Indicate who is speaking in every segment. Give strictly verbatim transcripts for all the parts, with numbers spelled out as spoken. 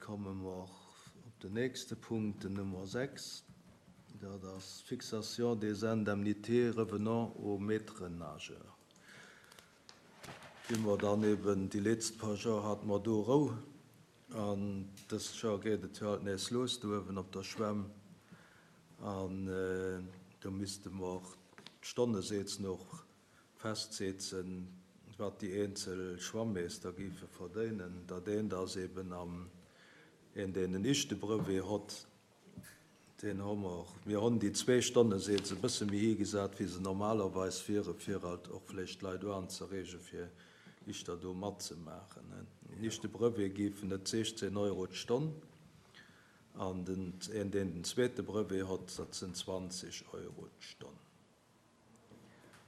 Speaker 1: Komme mer op den nächste Punkt, den Nummer sechs. Dat ass Fixation des indemnités revenant aux maîtres nageurs. Wéi mer dann eben déi letzt paar Joer hate mer do Rou an dëst Joer geet et jo alt nees los do uewen op der Schwämm an do misste mer d'Stonnesätz och festsetzen, wat déi eenzel Schwammeester géife verdéinen. Dat eent ass eben am een, deen en ischte Brevet hott, deen hu mer, mir hunn déi zwee Stonnesätz e bësse méi higesat, wéi se normalerweis wiere, fir halt och vläicht d'Leit uanzereege fir ischter do matzemaachen. En ischte Brevet géifen et sechzehn Euro d'Stonn an den een, deen den zweete Brevet hott, dat sinn zwanzeg Euro d'Stonn.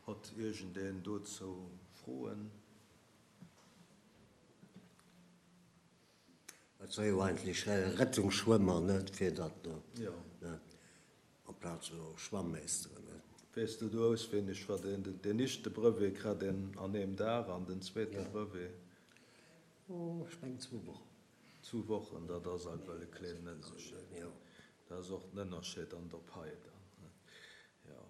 Speaker 1: Hott iergendeen dozou Froen?
Speaker 2: Dat war jo eigentlech Rettungsschwëmmer, net, fir dat do, net, amplaz elo Schwammeesteren, net.
Speaker 1: Weess de do auswéineg, wat een, den ischte Brevet kritt een an eem Dag an den zweete Brevet?
Speaker 2: Oh, ech mengen zwou Wochen.
Speaker 1: Zwou Wochen, dat ass ewell e kléinen Ënnerscheed. Dat ass och den Ënnerscheed an der Pai dann, net, jo.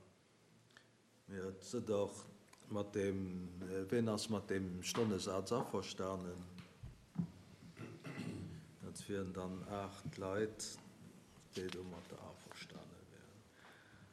Speaker 1: Mee et sëtt och mat deem, ween ass mat deem Stonnesaz averstanen? Dat wieren dann aacht Leit, déi domatter averstane.